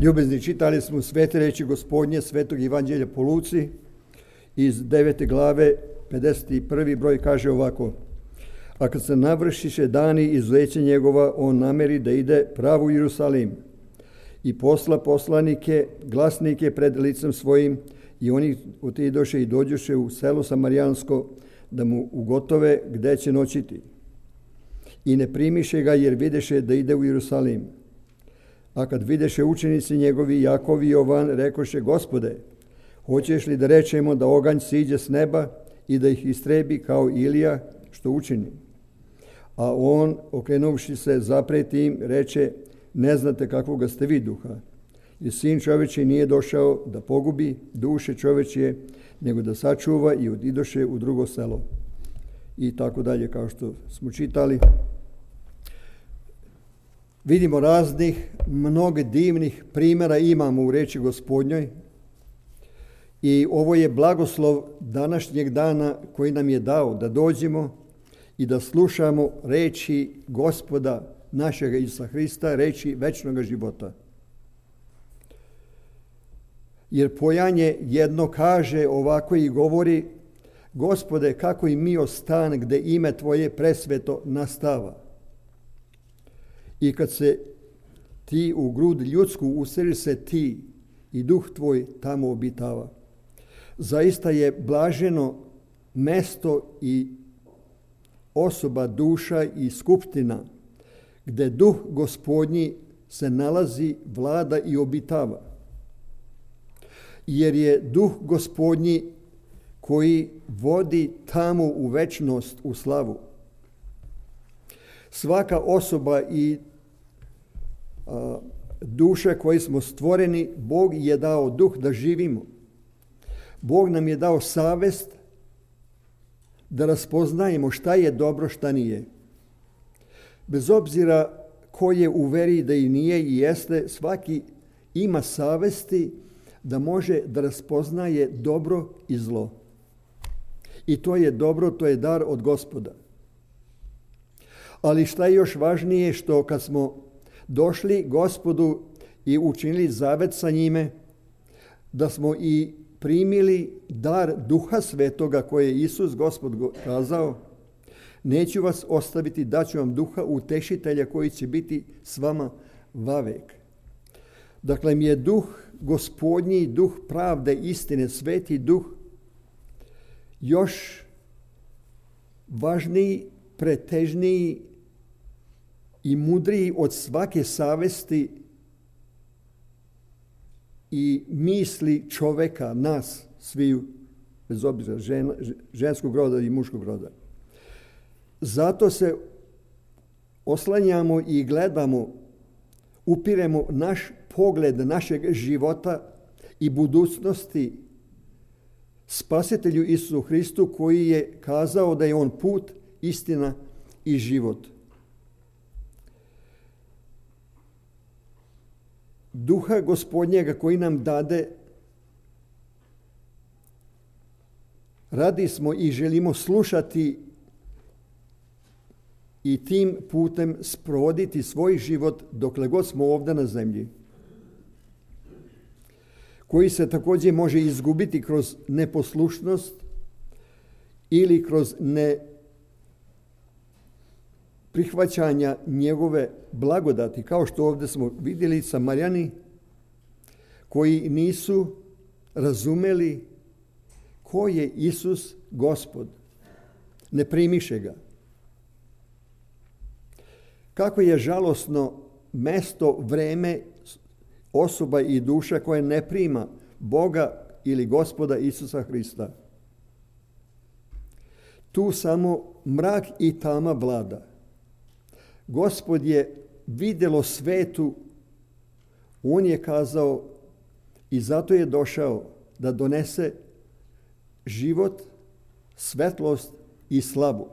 Ljubezni, čitali smo svete reči Gospodnje, svetog Evanđelja po Luci, iz 9. glave, 51. broj kaže ovako: a kad se navršiše dani izuzeća njegova, on nameri da ide pravo u Jerusalim i posla poslanike, glasnike pred licem svojim, i oni otidoše i dođoše u selo Samarijansko da mu ugotove gde će noćiti. I ne primiše ga, jer videše da ide u Jerusalim. A kad videše učenici njegovi, Jakov i Jovan, rekoše: Gospode, hoćeš li da rečemo da oganj siđe s neba i da ih istrebi kao Ilija što učini? A on, okrenuvši se, zapreti im, reče: ne znate kakvoga ste vi duha. I sin čovečji nije došao da pogubi duše čovečje, nego da sačuva, i odidoše u drugo selo. I tako dalje, kao što smo čitali. Vidimo raznih, mnogo divnih primjera imamo u reči Gospodnjoj. I ovo je blagoslov današnjeg dana koji nam je dao da dođemo i da slušamo reči Gospoda našega Isusa Hrista, reči večnog života. Jer pojanje jedno kaže ovako i govori: Gospode, kako i mi ostan gde ime Tvoje presveto nastava. I kad se ti u grud ljudsku useli se ti i duh Tvoj tamo obitava. Zaista je blaženo mesto i osoba, duša i skupština gde duh Gospodnji se nalazi, vlada i obitava. Jer je duh Gospodnji koji vodi tamo u večnost, u slavu. Svaka osoba i duša koji smo stvoreni, Bog je dao duh da živimo. Bog nam je dao savest da raspoznajemo šta je dobro, šta nije. Bez obzira ko je u veri da i nije i jeste, svaki ima savesti da može da raspoznaje dobro i zlo. I to je dobro, to je dar od Gospoda. Ali šta je još važnije, što kad smo došli Gospodu i učinili zavet sa njime, da smo i primili dar Duha Svetoga koje je Isus Gospod kazao: neću vas ostaviti, daću vam Duha utešitelja koji će biti s vama vavek. Dakle, mi je Duh Gospodnji, Duh pravde, istine, Sveti Duh još važniji, pretežniji i mudriji od svake savesti i misli čoveka, nas sviju, bez obzira ženskog roda i muškog roda. Zato se oslanjamo i gledamo, upiremo naš pogled našeg života i budućnosti Spasitelju Isusu Hristu, koji je kazao da je on put, istina i život. Duha Gospodnjega koji nam dade, radi smo i želimo slušati i tim putem sprovoditi svoj život dokle god smo ovdje na zemlji, koji se također može izgubiti kroz neposlušnost ili kroz neprihvaćanja njegove blagodati, kao što ovdje smo vidjeli Samarijani koji nisu razumeli ko je Isus Gospod, ne primiše ga. Kako je žalosno mesto, vreme, osoba i duša koja ne prima Boga ili Gospoda Isusa Hrista. Tu samo mrak i tama vlada. Gospod je vidjelo svetu, on je kazao, i zato je došao da donese život, svetlost i slavu.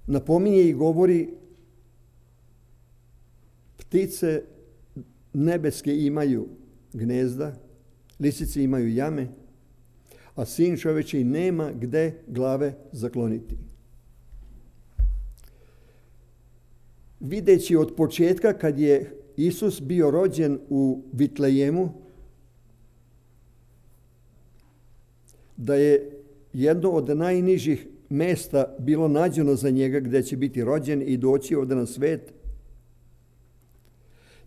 Napominje i govori: ptice nebeske imaju gnezda, lisice imaju jame, a sin čovječji nema gde glave zakloniti. videći od početka kad je Isus bio rođen u Vitlejemu, da je jedno od najnižih mjesta bilo nađeno za njega gdje će biti rođen i doći ovdje na svet.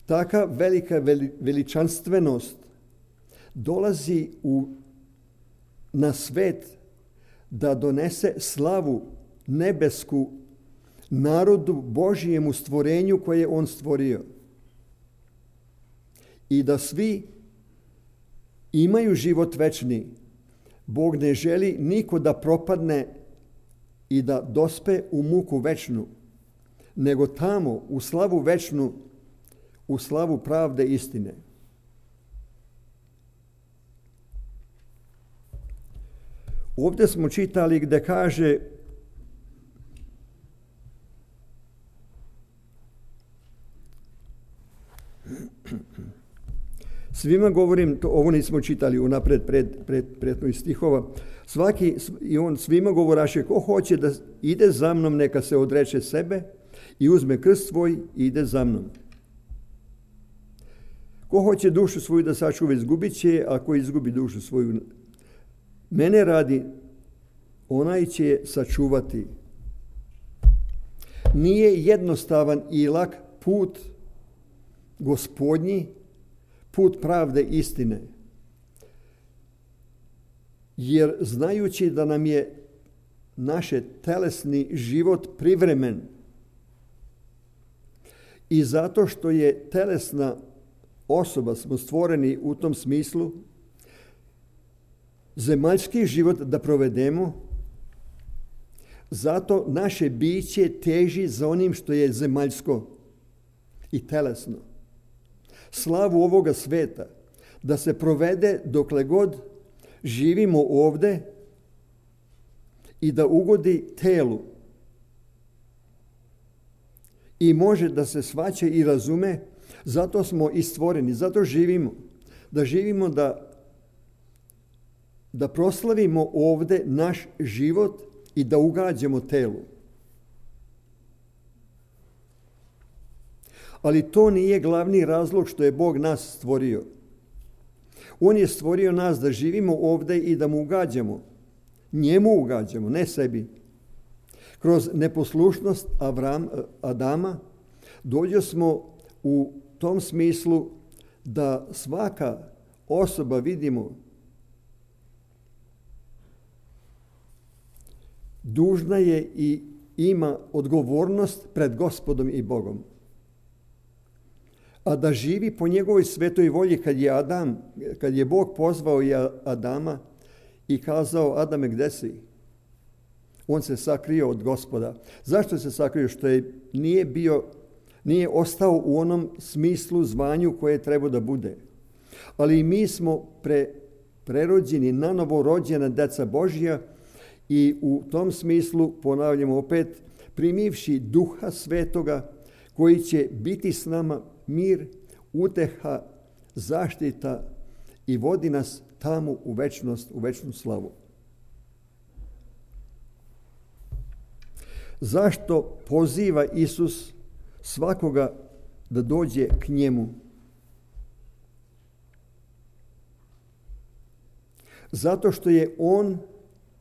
Taka velika veličanstvenost dolazi na svet da donese slavu nebesku narodu Božijemu stvorenju koje je on stvorio. I da svi imaju život večni. Bog ne želi niko da propadne i da dospe u muku večnu, nego tamo u slavu večnu, u slavu pravde istine. Ovdje smo čitali gdje kaže svima govorim, ovo nismo čitali unapred prethodnih stihova, i on svima govoraše, ko hoće da ide za mnom, neka se odreče sebe i uzme krst svoj i ide za mnom. Ko hoće dušu svoju da sačuva, izgubit će, a ko izgubi dušu svoju mene radi, onaj će je sačuvati. Nije jednostavan i lak put Gospodnji, put pravde istine. Jer znajući da nam je naš telesni život privremen i zato što je telesna osoba, smo stvoreni u tom smislu, zemaljski život da provedemo, zato naše biće teži za onim što je zemaljsko i telesno. Slavu ovoga sveta da se provede dokle god živimo ovdje i da ugodi telu. I može da se shvaća i razume, zato smo i stvoreni, zato živimo. Da živimo da proslavimo ovdje naš život i da ugađamo telu. Ali to nije glavni razlog što je Bog nas stvorio. On je stvorio nas da živimo ovdje i da mu ugađamo. Njemu ugađamo, ne sebi. Kroz neposlušnost Adama dođo smo u tom smislu da svaka osoba, vidimo, dužna je i ima odgovornost pred Gospodom i Bogom. A da živi po njegovoj svetoj volji, kad je Bog pozvao Adama i kazao, Adame, gdje si? On se sakrio od Gospoda. Zašto se sakrio? Što nije ostao u onom smislu, zvanju koje treba da bude. Ali mi smo prerođeni, nanovo rođena deca Božja i u tom smislu, ponavljamo opet, primivši Duha Svetoga koji će biti s nama mir, uteha, zaštita i vodi nas tamo u večnost, u večnu slavu. Zašto poziva Isus svakoga da dođe k njemu? Zato što je on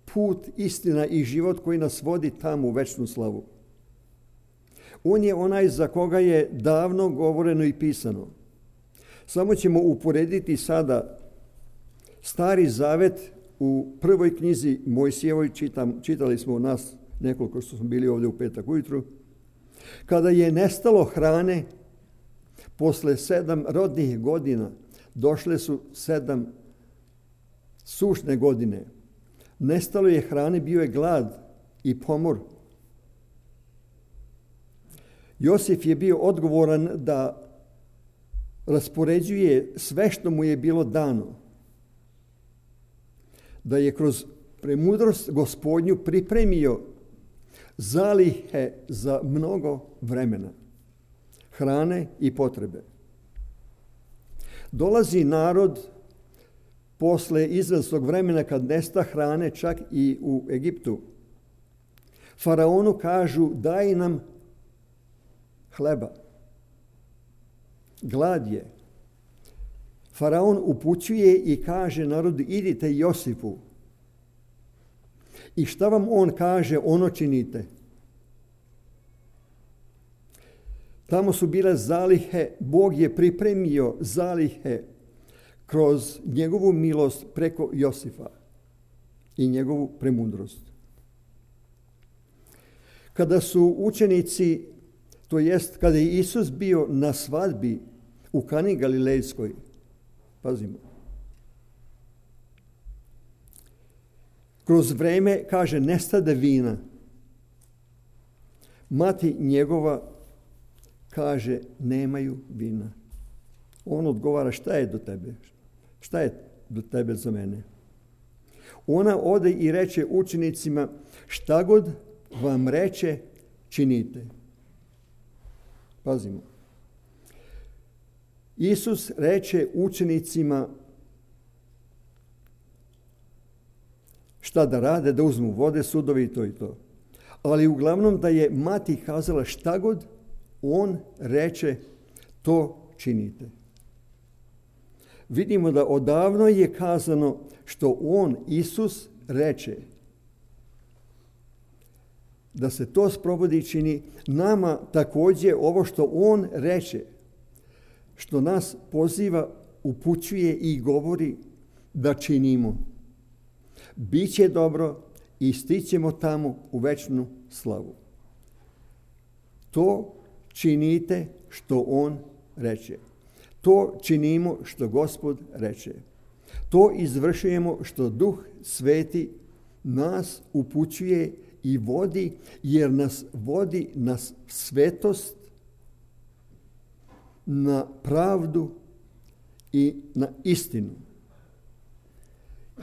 put, istina i život koji nas vodi tamo u večnu slavu. On je onaj za koga je davno govoreno i pisano. Samo ćemo uporediti sada Stari Zavet u prvoj knjizi Mojsijevoj, čitali smo nas nekoliko što smo bili ovdje u petak ujutru, kada je nestalo hrane, posle 7 rodnih godina, došle su 7 sušne godine. Nestalo je hrane, bio je glad i pomor. Josif je bio odgovoran da raspoređuje sve što mu je bilo dano. Da je kroz premudrost Gospodnju pripremio zalihe za mnogo vremena, hrane i potrebe. Dolazi narod posle izvjesnog vremena kad nesta hrane, čak i u Egiptu. Faraonu kažu, daj nam hleba. Glad je. Faraon upućuje i kaže narodu, idite Josifu. I šta vam on kaže, ono činite. Tamo su bile zalihe, Bog je pripremio zalihe kroz njegovu milost preko Josifa i njegovu premudrost. Kada su učenici, to jest kada je Isus bio na svadbi u Kani Galilejskoj, pazimo, kroz vreme, kaže, nestade vina. Mati njegova kaže, nemaju vina. On odgovara, šta je do tebe? Šta je do tebe za mene? Ona ode i reče učenicima, šta god vam reče, činite. Pazimo. Isus reče učenicima šta da rade, da uzmu vode, sudovi i to i to. Ali uglavnom da je mati kazala šta god on reče, to činite. Vidimo da odavno je kazano što on, Isus, reče. Da se to sprovodi i čini, nama također ovo što on reče, što nas poziva, upućuje i govori da činimo. Biće dobro i stićemo tamo u večnu slavu. To činite što on reče. To činimo što Gospod reče. To izvršujemo što Duh Sveti nas upućuje i vodi, jer nas vodi na svetost, na pravdu i na istinu.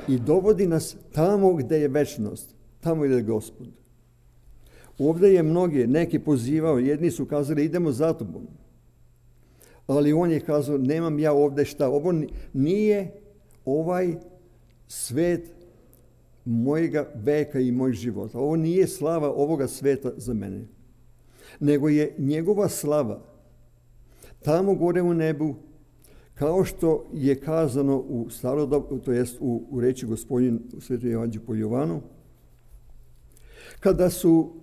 I dovodi nas tamo gdje je večnost, tamo gdje je Gospod. Ovdje je neki pozivao, jedni su kazali idemo za tobom. Ali on je kazao nemam ja ovdje šta, ovo nije ovaj svet mojega veka i moj života. Ovo nije slava ovoga sveta za mene. Nego je njegova slava tamo gore u nebu, kao što je kazano u starodobu, to jest u reči Gospodin u Svetom Evanđelju po Jovanu, kada su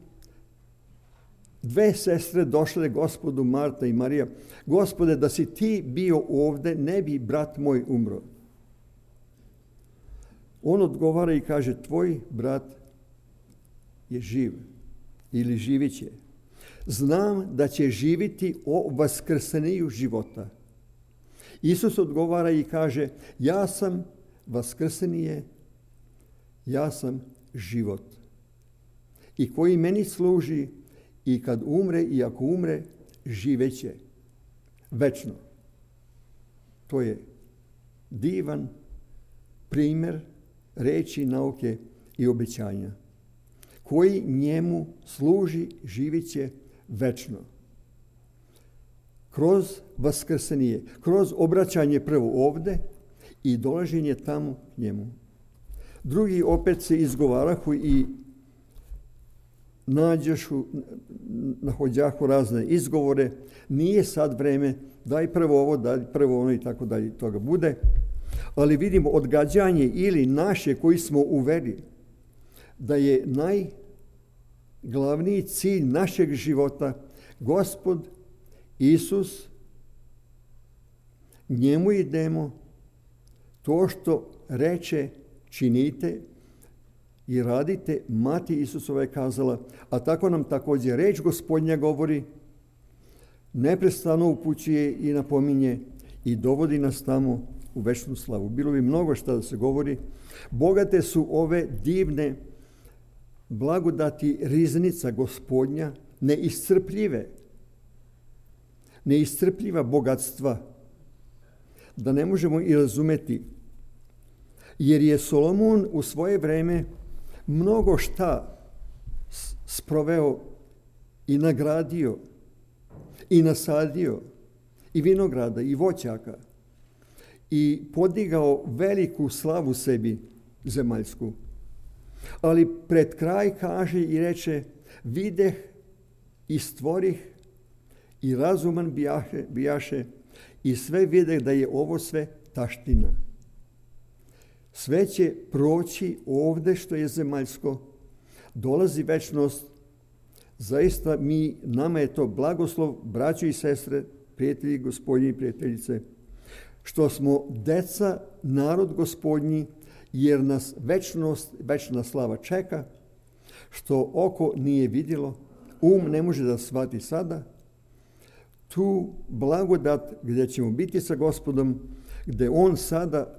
dve sestre došle Gospodu, Marta i Marija, Gospode, da si ti bio ovdje, ne bi brat moj umro. On odgovara i kaže, tvoj brat je živ ili živit će. Znam da će živiti o vaskrseniju života. Isus odgovara i kaže, ja sam vaskrsenije, ja sam život. I koji meni služi i kad umre i ako umre, živeće večno. To je divan primjer reči, nauke i obećanja. Koji njemu služi, živit će večno. Kroz vaskrsenije, kroz obraćanje prvo ovdje i dolaženje tamo k njemu. Drugi opet se izgovarahu i nahođahu razne izgovore, nije sad vreme, daj prvo ovo, daj prvo ono i tako dalje toga bude. Ali vidimo odgađanje ili naše koji smo u veri, da je najglavniji cilj našeg života Gospod Isus, njemu idemo, to što reče činite i radite, mati Isusova je kazala, a tako nam također reč Gospodnja govori, neprestano upućuje i napominje i dovodi nas tamo u večnu slavu. Bilo bi mnogo šta da se govori. Bogate su ove divne blagodati riznica Gospodnja, neiscrpljiva bogatstva, da ne možemo i razumeti. Jer je Solomon u svoje vreme mnogo šta sproveo i nagradio i nasadio i vinograda i voćaka i podigao veliku slavu sebi zemaljsku. Ali pred kraj kaže i reče, videh i stvorih i razuman bijaše i sve vide da je ovo sve taština. Sve će proći ovde što je zemaljsko, dolazi večnost. Zaista nama je to blagoslov, braćo i sestre, prijatelji Gospodnji i prijateljice, što smo deca, narod Gospodnji, jer nas večna slava čeka, što oko nije vidjelo, ne može da shvati sada, tu blagodat gdje ćemo biti sa Gospodom, gdje on sada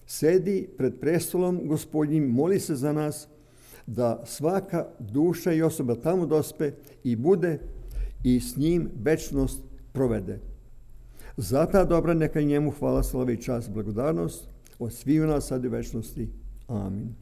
sedi pred prestolom Gospodnjim, moli se za nas, da svaka duša i osoba tamo dospe i bude i s njim večnost provede. Za ta dobra neka njemu hvala, slava i čast, blagodarnost od sviju nas sad i večnosti. Amin.